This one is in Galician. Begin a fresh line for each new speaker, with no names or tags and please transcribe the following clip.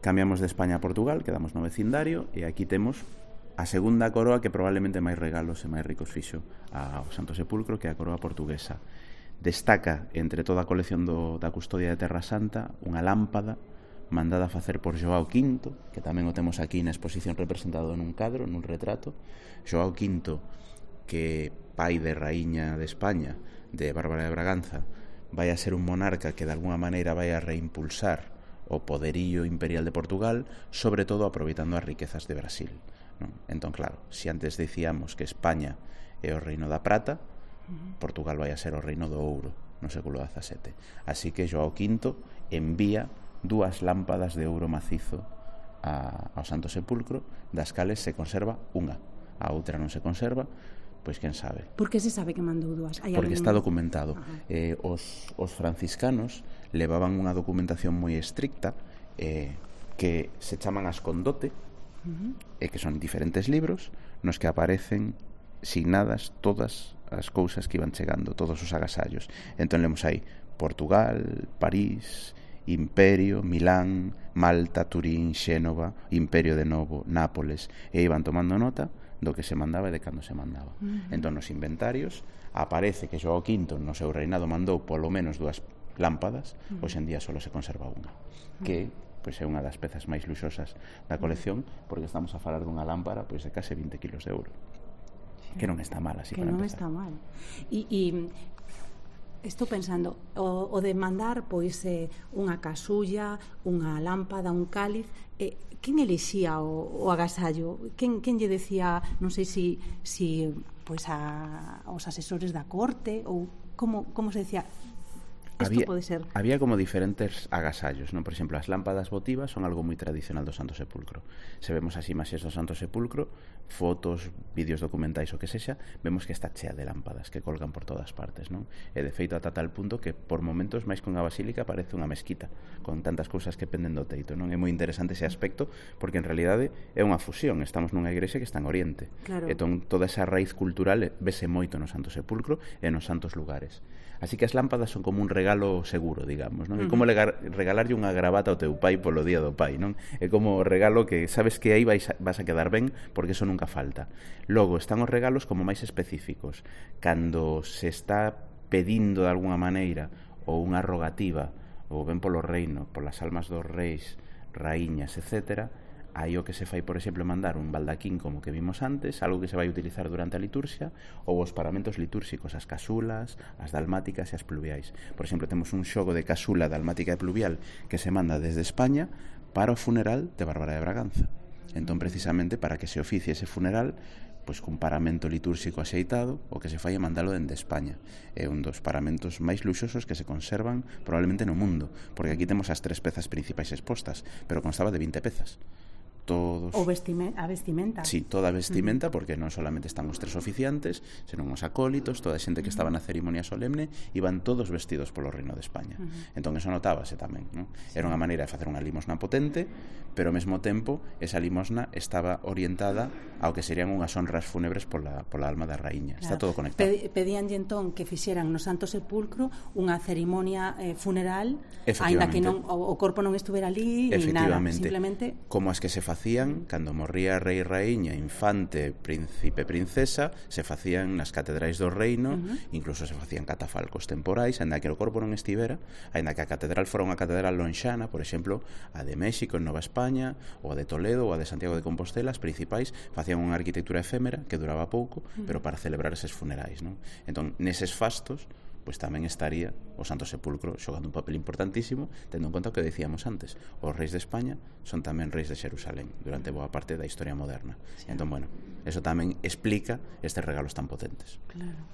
Cambiamos de España a Portugal, quedamos no vecindario, e aquí temos a segunda coroa que probablemente máis regalos e máis ricos fixo ao Santo Sepulcro, que é a coroa portuguesa. Destaca entre toda a colección da custodia de Terra Santa unha lámpada mandada a facer por Joao V, que tamén o temos aquí na exposición representado nun cadro, nun retrato. Joao V, que pai de raíña de España, de Bárbara de Braganza, vai a ser un monarca que de alguna maneira vai a reimpulsar o poderío imperial de Portugal, sobre todo aproveitando as riquezas de Brasil, non? Entón, claro, se antes dicíamos que España é o reino da prata, Portugal vai a ser o reino do ouro no século XVII. Así que Joao V envía 2 lámpadas de ouro macizo ao Santo Sepulcro, das cales se conserva unha, a outra non se conserva, pois quen sabe.
Por que se sabe que mandou 2?
Porque está documentado. Os franciscanos levaban unha documentación moi estricta que se chaman as Condote, que son diferentes libros nos que aparecen signadas todas as cousas que iban chegando, todos os agasallos. Entón lemos aí Portugal, París, Imperio, Milán, Malta, Turín, Xénova, Imperio de Novo, Nápoles, e iban tomando nota do que se mandaba e de cando se mandaba. Entón nos inventarios aparece que Joao V no seu reinado mandou polo menos 2 lámpadas, hoxe en día só se conserva unha, que pois é unha das pezas máis luxosas da colección, porque estamos a falar dunha lámpara pois de case 20 kilos de ouro, que non está mal así
que
para
non
empezar.
está mal. E estou pensando, o de mandar pois unha casulla, unha lámpada, un cáliz, quen elixía o agasallo? Quen lle decía, non sei si pois aos asesores da corte, ou como se decía?
Había como diferentes agasallos, non? Por exemplo, as lámpadas votivas son algo moi tradicional do Santo Sepulcro. Se vemos as imaxes do Santo Sepulcro, fotos, vídeos documentais o que sexa, vemos que está chea de lámpadas que colgan por todas partes, non? E de feito ata tal punto que por momentos máis que unha basílica parece unha mesquita, con tantas cousas que penden do teito, non? É moi interesante ese aspecto, porque en realidade é unha fusión, estamos nunha igrexa que está en Oriente.
Claro.
Entón toda esa raíz cultural vese moito no Santo Sepulcro e nos santos lugares. Así que as lámpadas son como un regalo seguro, digamos, non? É como regalarlle unha gravata ao teu pai polo día do pai, non? É como o regalo que sabes que aí vas a quedar ben, porque eso nunca falta. Logo, están os regalos como máis específicos. Cando se está pedindo de alguna maneira ou unha rogativa, ou ben polo reino, polas almas dos reis, raíñas, etcétera, aí o que se fai, por exemplo, mandar un baldaquín como que vimos antes, algo que se vai utilizar durante a liturxia, ou os paramentos litúrxicos, as casulas, as dalmáticas e as pluviais. Por exemplo, temos un xogo de casula dalmática e pluvial que se manda desde España para o funeral de Bárbara de Braganza. Entón, precisamente, para que se oficie ese funeral, pois cun paramento litúrxico axeitado, o que se fai é mandalo dende España. É un dos paramentos máis luxosos que se conservan probablemente no mundo, porque aquí temos as 3 pezas principais expostas, pero constaba de 20 pezas. Todos...
a vestimenta.
Sí, toda a vestimenta, porque non solamente están os 3 oficiantes, senón os acólitos, toda a xente que estaba na ceremonia solemne, iban todos vestidos polo Reino de España. Entón eso notábase tamén, non? Era unha maneira de facer unha limosna potente, pero ao mesmo tempo esa limosna estaba orientada ao que serían unhas honras fúnebres pola alma da raíña. Está todo conectado.
Pedíanlle entón que fixeran no Santo Sepulcro unha ceremonia funeral, aínda que non o corpo non estuvera ali ni nada, simplemente
como as que se facían cando morría rei, raíña, infante, príncipe, princesa, se facían nas catedrais do reino, incluso se facían catafalcos temporais, aínda que o corpo non estivera, aínda que a catedral fora unha catedral lonxana, por exemplo, a de México en Nova España, ou a de Toledo, ou a de Santiago de Compostela, as principais facían unha arquitectura efémera que duraba pouco, pero para celebrar eses funerais, non? Entón, neses fastos, pois tamén estaría o Santo Sepulcro xogando un papel importantísimo, tendo en conta o que decíamos antes, os reis de España son tamén reis de Xerusalén durante boa parte da historia moderna. Entón, bueno, eso tamén explica estes regalos tan potentes.
Claro.